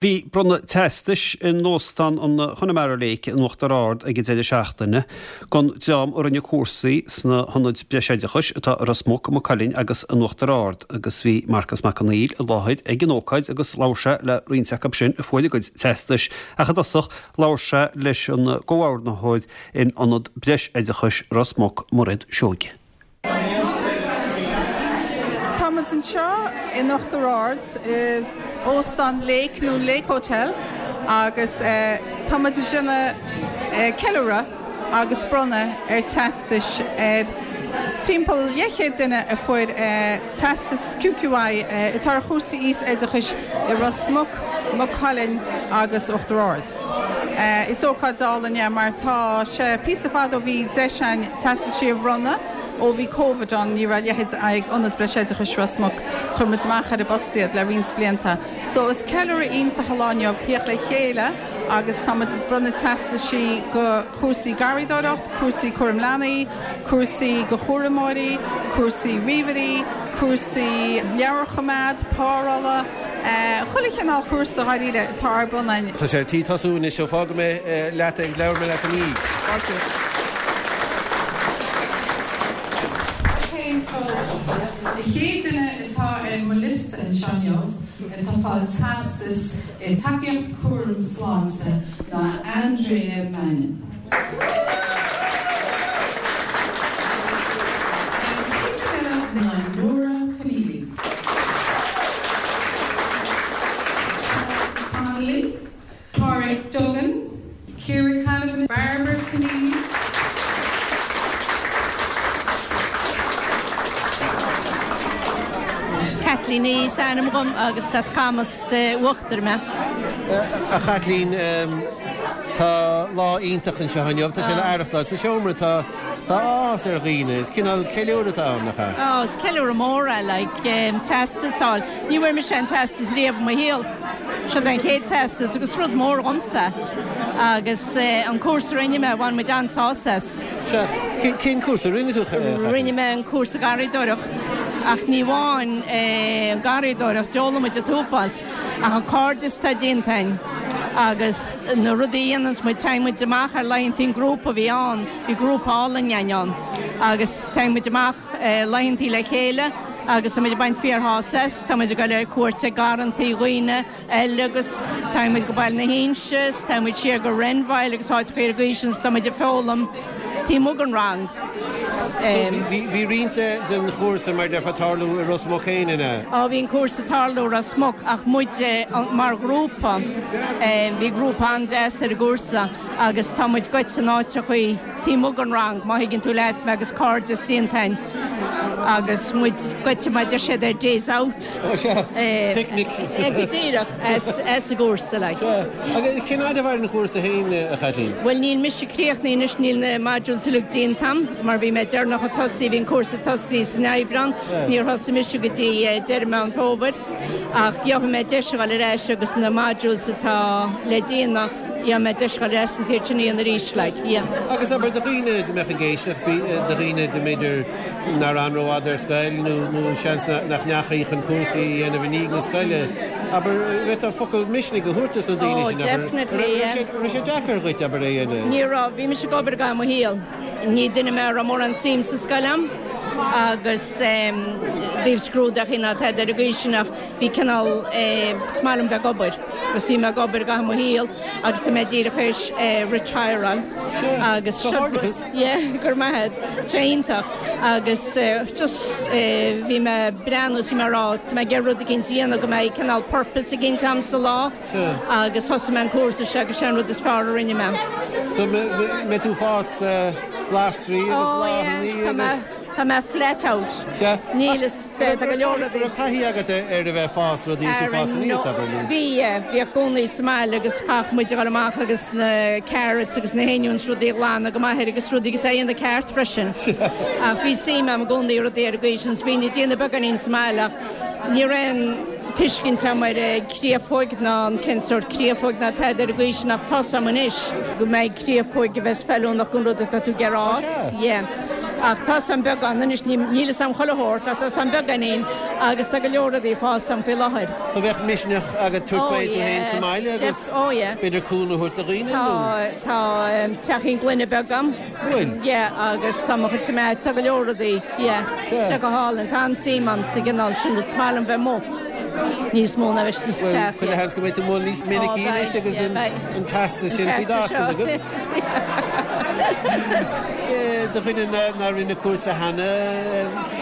Bhí bronnadh teastais in Óstán an Chonamara Lake in Uachtar Ard ag an deireadh seachtaine don dream a rinne cúrsaí sna hionaid breisoideachais atá i Ros Muc, Maigh Cuilinn agus in Uachtar Ard agus bhí Marcas Mac Conghail i láthair ag an ócáid agus labhair sé le roinnt acu sin a fuair a gcuid teastais ach i dtosach labhair sé leis an gcomhordaitheoir in Ionad Breisoideachais Ros Muc, Mairéad Seoige. Táimid anseo in Uachtar Ard i Óstán Lake nó Lake Hotel agus táimid ag déanamh ceiliúradh agus bronnadh ar teastais ar timpeall leathchéad duine a fuair teastas QQI atá ar chúrsaí aos-oideachais i Ros Muc, Maigh Cuilinn agus Uachtar Ard. Is ócáid álainn é mar tá sé píosa fada ó bhí deis againn teastaisí a bhronnadh. Ó bhí Covid ann ní raibh a leithéid ag Ionad Breisoideachais Ros Muc. Chuir muid amach ar an bpost iad le roinnt blianta. So is ceiliúradh iontach an lá inniu theacht le chéile agus tá muid ag bronnadh teastaisí go chúrsaí garraíodóireacht, cúrsaí cúram leanaí, cúrsaí go chúramóirí, cúrsaí ríomhairí, cúrsaí leabharchoimeád, párolla. Chuile chineál cúrsa dháiríre atá ar bun againn. Tá sé ar tí tosú anois so fágfaidh mé leat é agus labhróidh mé leat ina dhiaidh. Fáilte. Ok so an chéad duine atá ar mo liosta anseo inniu atá ag fáil teastas i Tacaíocht Cúram Sláinte ná Andrea Mannion. An chéad duine eile ná Nora Conneely. Seán Connolly, Pádraig Duggan, Ciara Canavan, Barbara Conneely. Caitlín is ainm dhom agus as Camas Uachtair mé. A Chaitlín, tá lá iontach anseo inniu, tá sé le aireachtáil sa seomra, tá tá áthas ar dhaoine, is cineál ceiliúradh atá ann, nach ea? Ó, is ceiliúradh mór é, like, teastas a fháil. Ní bhfuair mise aon teastas riamh i mo shaol. Seo an chéad teastas agus rud mór dhomsa. Agus an cúrsa a rinne mé, bhain muid an-sásamh as. Sea, cén cúrsa a rinne tú, a Chaitlín? Rinne mé an cúrsa garraíodóireacht, ach ní amháin an garraíodóireacht, d'fhoghlaim muid an t-uafás, ach an cairdeas atá déanta againn agus na rudaí a dhéananns muid, téann muid amach ar laethantaí an grúpa a bhí ann, bhí grúpa álainn againn ann agus téann muid amach laethantaí le chéile agus tá muid ag baint fíorshásamh as, tá muid ag dul ar cuairt ag garrantaí dhaoine eile agus téann muid go Baile na hInse is téann muid siar go Renvyle agus áiteacha ar an gcaoi sin is tá muid ag foghlaim taobh amuigh den rang. So bhí roinnt den chúrsa mar déarfá ag tarlú i Ros Muc féin, an ea? Á bhí an cúrsa ag tarlú i Ros Muc ach muid mar ghrúpa, bhí grúpa an-deas ar an gcúrsa agus tá muid goite in áiteachaí taobh amuigh den rang má thuigeann tú leat mé agus cairdeas déanta againn agus muid goite mar deir siad ar days out. Ó sea, picnic. Go díreach, as an gcúrsa like. Sea, agus cén fhad a mhair an chúrsa féin, a Chaitlín? Bhuel níl mise críochnaithe anois, níl na modules uilig déanta a'm mar bhí mé deireanach ag tosaí, bhí an cúrsa ag tosaí san Aibreán agus níor thosaigh mise go dtí deireadh Meán Fómhair ach gheobhaidh mé deis a dhul ar ais agus na modules atá le déanamh, gheobhaidh mé deis a dhul ar ais agus iad sin a dhéanamh arís like, yeah. Agus abair do dhaoine go mbeadh ag éisteacht, do dhaoine go mb'fhéidir nár fhan rófhada ar scoil nó nó seans nach ndeachaigh chun cúrsaí a dhéanamh i ndiaidh na scoile, abair, an bhféadfá focal misnigh a thabhairt dos na daoine Oh, sin, abair, definitely, yeah. an raibh sé deacair dhuit, abair, é a dhéanamh? Ní raibh, bhí mise ag obair i gcaitheamh mo shaoil. Ní duine mé a raibh mórán suim sa scoil a'm agus i dtaobh scrúdaithe ná tada ar an gcaoi sin ach bhí cineál, is maith liom bheith ag obair agus bhí mé ag obair i gcaitheamh mo shaoil agus tá mé díreach théis retireáil agus Sea, comhghairdeachas. Yeah, go raibh maith agat. Sé iontach agus just bhí mé ag breathnú is bhí mé ag rá tá mé ag iarraidh rud eicínt a dhéanamh go mbeidh cineál purpose eicínt a'm sa lá agus thosaigh mé an cúrsa seo agus sé an rud is fearr a rinne mé. So mbeidh tú ag fás glasraí agus Oh yeah, bláthanna tá mé agus. tá mé flat out. Sea. Níl fhios Tá go leor rudaí. Raibh taithí agat ar a bheith ag fás rudaí is tú fás aníos, abair, nó? Bhí, yeah. Bhíodh cónaí sa mbaile agus chaithfeadh muid a dhul amach agus na carrots agus na honions rudaí a ghlanadh go maith agus rudaí agus é a dhéanamh ceart freisin. Ach bhí suim agam i gcónaí i rudaí ar an gcaoi sin so bhínn ag déanamh beagáinín sa mbaile ach ní raibh aon tuiscint agam ar an créafóig ná an cén sórt créafóig ná tada ar an gcaoi sin ach tá's agam anois go mbeidh créafóig a bheas feiliúnach don rud atá tú ag iarraidh a fhás. Yeah. Ach tá's agam beagán anois, níl fhios agam chuile shórt ach tá's agam beagáinín. Agus tá go leor rudaí ag fás a'm faoi láthair. So bheadh misneach agat tabhairt faoi tú féin sa mbaile agus b'fhéidir cúnamh a thabhairt do dhaoine nó? Tá, tá teachín gloine beag a'm. Bhfuil? Yeah, agus tá mo chuid tomato, tá go leor rudaí, yeah. Tá sé go hálainn, tá an-suim a'm sa gcineál sin, is maith liom bheith amuigh níos mó ná bheith sa teach. Bhuel, chuile sheans go mbeidh tú amuigh níos minicí anois agus an teastas sin faoi d'ascaill agat. Do dhuine nár rinne cúrsa cheana,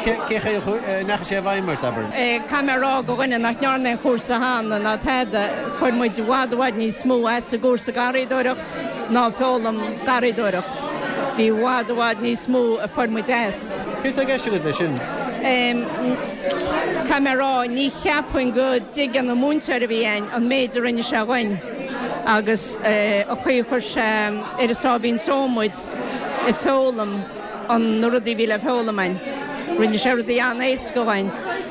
cé chaoi a ndeachaigh sé i bhfeidhm ort, abair? Caithfidh mé a rá do dhuine nach ndearna aon chúrsa cheana ná tada, fuair muid i bhfad i bhfad níos mó as an gcúrsa garraíodóireacht ná foghlaim garraíodóireacht. Bhí i bhfad i bhfad níos mó a fuair muid as. Céard atá i gceist agat leis sin? Caithfidh mé a rá, ní cheapfainn go dtuigeann an múinteoir a bhí a'inn an méid a rinne sé dhuinn. Agus an chaoi a chuir sé ar an sáimhín só muid ag foghlaim an na rudaí a bhí le foghlaim a'inn. Rinne sé rudaí an-éasca dhuinn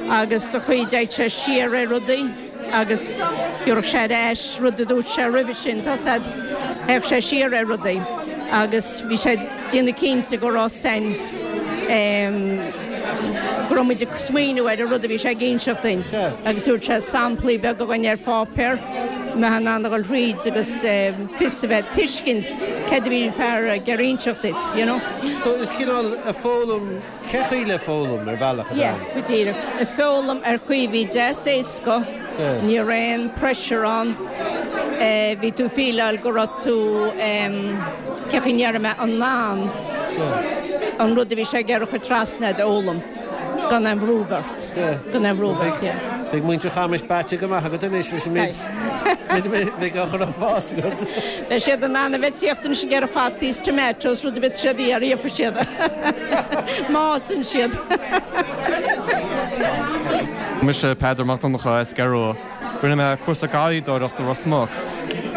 agus an chaoi a dtéadh sé siar ar rudaí agus thabharfadh sé ar ais rud a dúirt sé roimhe sin, tá 's a'd, théadh sé siar ar rudaí agus bhí sé ag déanamh cinnte go raibh san go raibh muid ag smaoineamh ar an rud a bhí sé ag inseacht duinn agus thabharfadh sé samplaí beaga dhuinn ar pháipéar, mbeifeá in ann a dhul thríd agus fios a bheith, tuiscint céard a bhí an fear ag iarraidh inseacht duit, you know. So is cineál ag foghlaim cé chaoi le foghlaim ar bhealach atá ann. Yeah, go díreach. Ag foghlaim ar chaoi a bhí deas éasca, ní raibh aon pressure ann, bhí tú feeláil go raibh tú, cé chaoi a ndéarfaidh mé, in ann an rud a bhí sé ag iarraidh a chur trasna a'd a fhoghlaim gan aon bhrú ort. Gan aon bhrú ort, yeah. Beidh muintir Chamais báite go maith agat anois leis an méid a bheidh á chur ag fás agat. Beidh siad in ann a bheith ag tíocht anois ag iarraidh fataí is tomatoes, rud ar bith siad a iarraidh, gheobhaidh siad. Má fhásann siad. Mise Peadar Mac Donncha as Gearua. Rinne mé cúrsa garraíodóireachta i Ros Muc.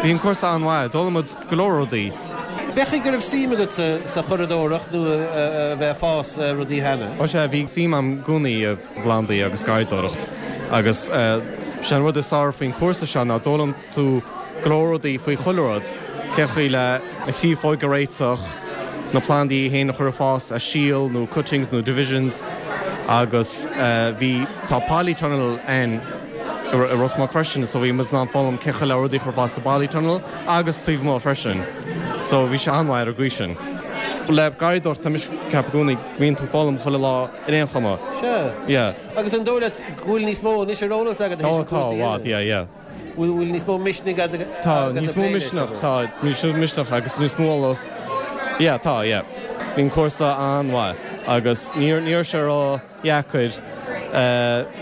Bhí an cúrsa an-mhaith, d'fhoghlaim muid go leor rudaí. B'é go raibh suim agat sa churadóireacht nó a bheith ag fás rudaí cheana? Ó sea, bhí suim agam i gcónaí i bplandaí agus garraíodóireacht agus sé an rud is fearr faoin chúrsa seo ná d'fhoghlaim tú go leor rudaí faoi chuile rud, cé chaoi le na créafóig a réiteach, na plandaí féin a chur ag fás as síol nó cuttings nó divisions agus bhí, tá polytunnel ann i Ros Muc freisin so bhí muid in ann foghlaim cé chaoi le rudaí a chur ag fás sa bpolytunnel agus taobh amuigh freisin so bhí sé an-mhaith ar an gcaoi sin. Le garraíodóireacht tá mise ag ceapadh i gcónaí go mbíonn tú ag foghlaim chuile lá ar aon chuma. Sea. Yeah. Agus an dóigh leat go bhfuil níos mó anois ar eolas agat théis an cúrsa a dhéanamh? Ó tá, i bhfad, yeah, yeah. Bhfuil níos mó misnigh agat Tá, níos mó misneach, tá, níos mó misneach agus níos mó eolas, yeah, tá, yeah. Bhí an cúrsa an-mhaith agus ní raibh sé ró-dheacair,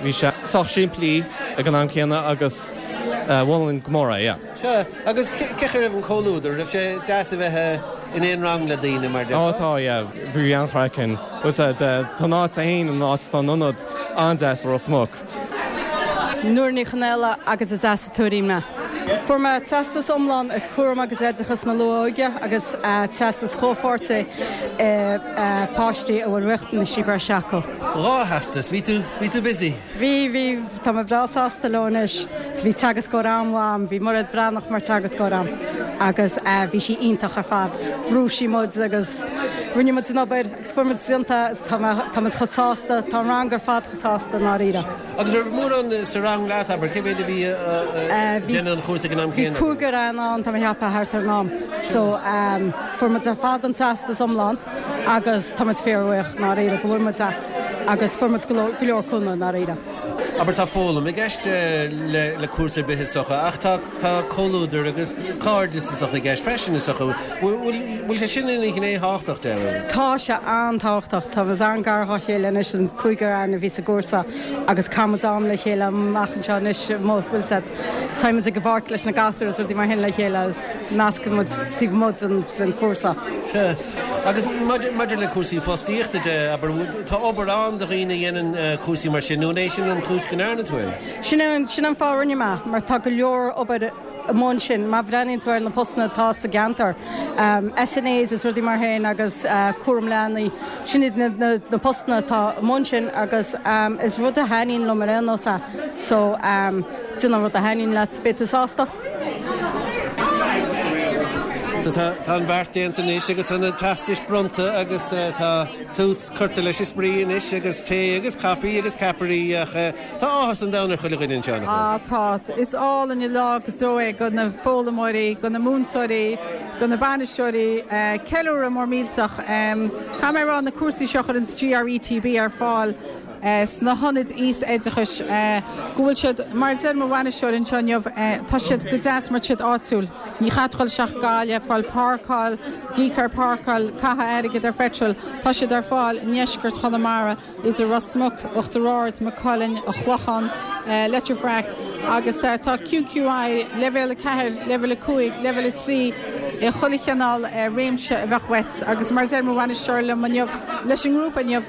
bhí sé sách simplí ag an am céanna agus mholfainn go mór é, yeah. Sea, agus cé chaoi a raibh an comhluadar, raibh sé deas a bheith in aon rang le daoine mar déarfá? Ó tá, yeah, bhí an-chraic ann. Tá an áit féin, an áit, tá an ionad an-deas i Ros Muc. Nóra Ní Chonaola agus is as an Tuairín mé. Fuair mé teastas iomlán i Cúram agus Oideachas na Luath-Óige agus teastas comhpháirte i páistí a bhfuil riachtanaisí breise acu. 2 theastas, bhí tú, bhí tú busy? Bhí, bhí, tá mé breá sásta leo anois. Bhí teagascóir an-mhaith a'm, bhí Mairéad Breathnach mar teagascóir a'm agus bhí sí iontach ar fad. Bhrúigh sí muid agus rinne muid an obair agus fuair muid déanta agus tá mé, tá muid chomh sásta, tá an rang ar fad chomh sásta i ndáiríre. Agus raibh mórán sa rang leat, abair, cé mhéad a bhí ag déanamh an chúrsa ag an am céanna? Bhí cúigear againn ann, tá mé ag ceapadh, thart ar an am. So, fuair muid ar fad an teastas iomlán agus tá muid fíorbhuíoch, i ndáiríre, go bhfuair muid é agus fuair muid go leor cúnamh, i ndáiríre. Abair, tá foghlaim i gceist le cúrsa ar bith is dócha, ach tá tá comhluadar agus cairdeas is dócha i gceist freisin is dócha. Bhfuil sé sin ina ghné thábhachtach de? Tá sé an-tábhachtach. Tá muid an-gar dhá chéile anois, an cúigear againn a bhí sa gcúrsa agus caithfidh muid am le chéile amach anseo anois, bhfuil 's a'd. Téann muid ag an bpáirc leis na gasúir is rudaí mar sin le chéile agus meascann muid taobh amuigh den chúrsa. Sea. Agus maidir le cúrsaí fostaíochta de, abair, tá obair ann do dhaoine a dhéanann cúrsaí mar sin, nó an é sin an chúis go ndearna tú é? Sin é, sin an fáth a rinne mé, mar tá go leor obair amuigh ansin. Má bhreathnaíonn tú ar na postanna atá sa gceantar, SNAs is rudaí mar sin agus cúram leanaí, sin iad na postanna atá amuigh ansin agus is rud a thaitníonn liom ar aon nós é. So, déan an rud a thaitníonn leat, beidh tú sásta. So tá tá an bheart déanta anois agus tá na teastais bronnta agus tá tús curtha leis an spraoi anois agus tae agus caife agus ceapairí ach tá áthas an domhain ar chuile dhuine anseo, nach bhfuil? Á tá. Is álainn an lá go deo é do na foghlaimeoirí, do na múinteoirí, do na bainisteoirí. Ceiliúradh mór millteach. Caithfidh mé a rá na cúrsaí seo a chuireann GRETB ar fáil, sna hionaid aois-oideachais, go bhfuil siad, mar a deir mo bhainisteoir anseo inniu, tá siad go deas mar tá siad áitiúil. Ní chaithfidh tú dul isteach go Gaillimh, fáil páirceáil, íoc ar páirceáil, caitheamh airgid ar phetrol. Tá siad ar fáil i ndeisceart Chonamara, idir Ros Muc, Uachtar Ard, Maigh Cuilinn, An Clochán, Leitir Fraic agus tá QQI leibhéal 4, leibhéal 5, leibhéal 3 i chuile chineál réimse a bheadh uait agus mar a deir mo bhainisteoir liom inniu, leis an ngrúpa inniu,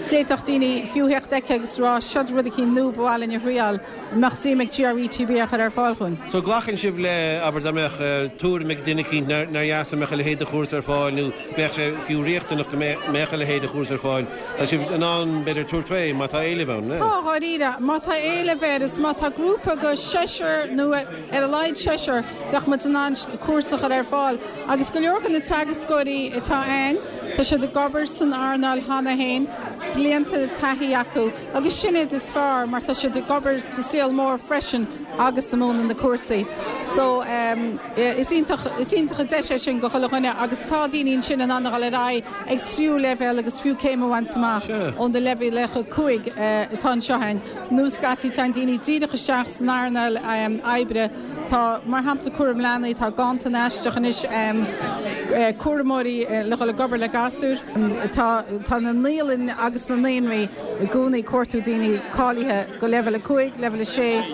D'fhéadfadh daoine fiú theacht aici agus rá, seod rud eicínt nua ba mhaith linn a thriáil, an mbeadh suim ag GRETB a chur ar fáil dhúinn? So glacann sibh le, abair dá mbeadh tuairim ag duine eicínt nár dheas dá mbeadh a leithéid de chúrsa ar fáil nó bheadh sé fiú riachtanach go mbeadh a leithéid de chúrsa ar fáil, tá sibh in ann b'fhéidir tabhairt fé má tá éileamh ann, ne? Tá, dháiríre. Má tá éileamh air is má tá grúpa de sheisear nó ar a laghad seisear, bheadh muid in ann cúrsa a chur ar fáil. Agus go leor de na teagascóirí atá ann, tá siad ag obair san earnáil cheana féin, blianta taithí acu, agus sin iad is fearr mar tá siad ag obair sa saol mór freisin agus ag múineadh na cúrsaí. So, is iontach, is iontach an deis é sin do chuile dhuine agus tá daoine ansin in ann a dhul ar aghaidh ag tríú leibhéal agus fiú céim a bhaint amach ó na leibhéalacha 5 atá anseo againn. Nó scaití téann daoine díreach isteach san earnáil oibre. Tá, mar shampla, cúram leanaí, tá ganntan aisteach anois cúramóirí le dhul ag obair le gasúir. Tá, tá na naíolanna agus na naíonraí i gcónaí ag cuartú daoine cáilithe go leibhéal 5, leibhéal 6.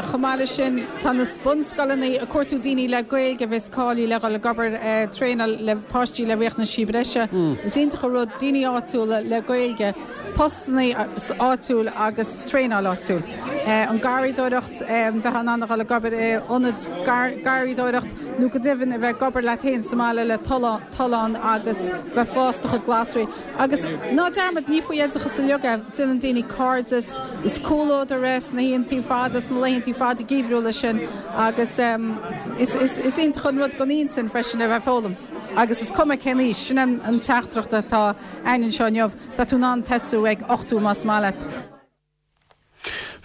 Chomh maith leis sin, tá na bunscoileanna ag cuartú daoine le Gaeilge a bheas cáilithe le dhul ag obair, traenáil le páistí le riachtanaisí breise. Is iontach an rud daoine áitiúla le Gaeilge, postanna áitiúil agus traenáil áitiúil. An garraíodóireacht, bheith in ann a dhul ag obair i ionad garraíodóireacht nó go deimhin a bheith ag obair leat féin sa mbaile le tollán agus bheith ag fás do chuid glasraí. Agus ná dearmad, ní faoi oideachas uilig é, déanann daoine cairdeas, is comhluadar é sna hoícheantaí fada, sna laethantaí fada geimhriúla sin agus is iontach an rud don intinn freisin a bheith ag foghlaim. Agus is cuma cén aois, sin an teachtaireacht atá againn anseo inniu. Tá tú in ann tosú ag 80 más maith leat.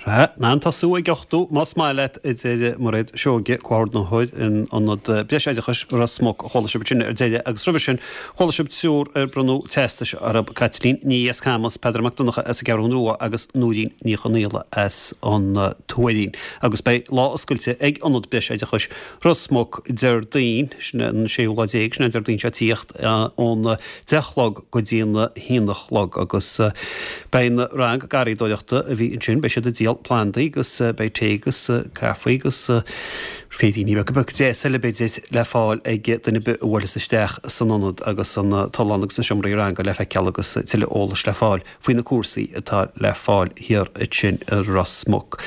Sea, in ann tosú ag 80 más maith leat, a deir Mairéad Seoige, comhordaitheoir in Ionad Breisoideachais Ros Muc. Chuala sibh sin ar deireadh agus roimhe sin chuala sibh triúr ar bronnadh teastais orthu, Caitlín Ní Camas, Peadar Mac Donncha as an gCeathrú Rua agus Nóirín Ní Chonaola as an Tuairín. Agus beidh lá oscailte ag Ionad Breisoideachais Ros Muc Déardaoin, sin an séú lá déag, sin an Déardaoin seo ag tíocht, ón deich a chlog go dtí an haon a chlog agus beidh an rang garraíodóireachta a bhí ansin, beidh siad ag díol plandaí agus beidh tae agus caife agus féiríní beaga beaga deas eile b'fhéidir le fáil ag duine ar bith a bhuailfeas isteach san ionad agus an tollán agus na seomraí ranga le feiceáil agus tuilleadh eolais le fáil faoi na cúrsaí atá le fáil thiar ansin i Ros Muc.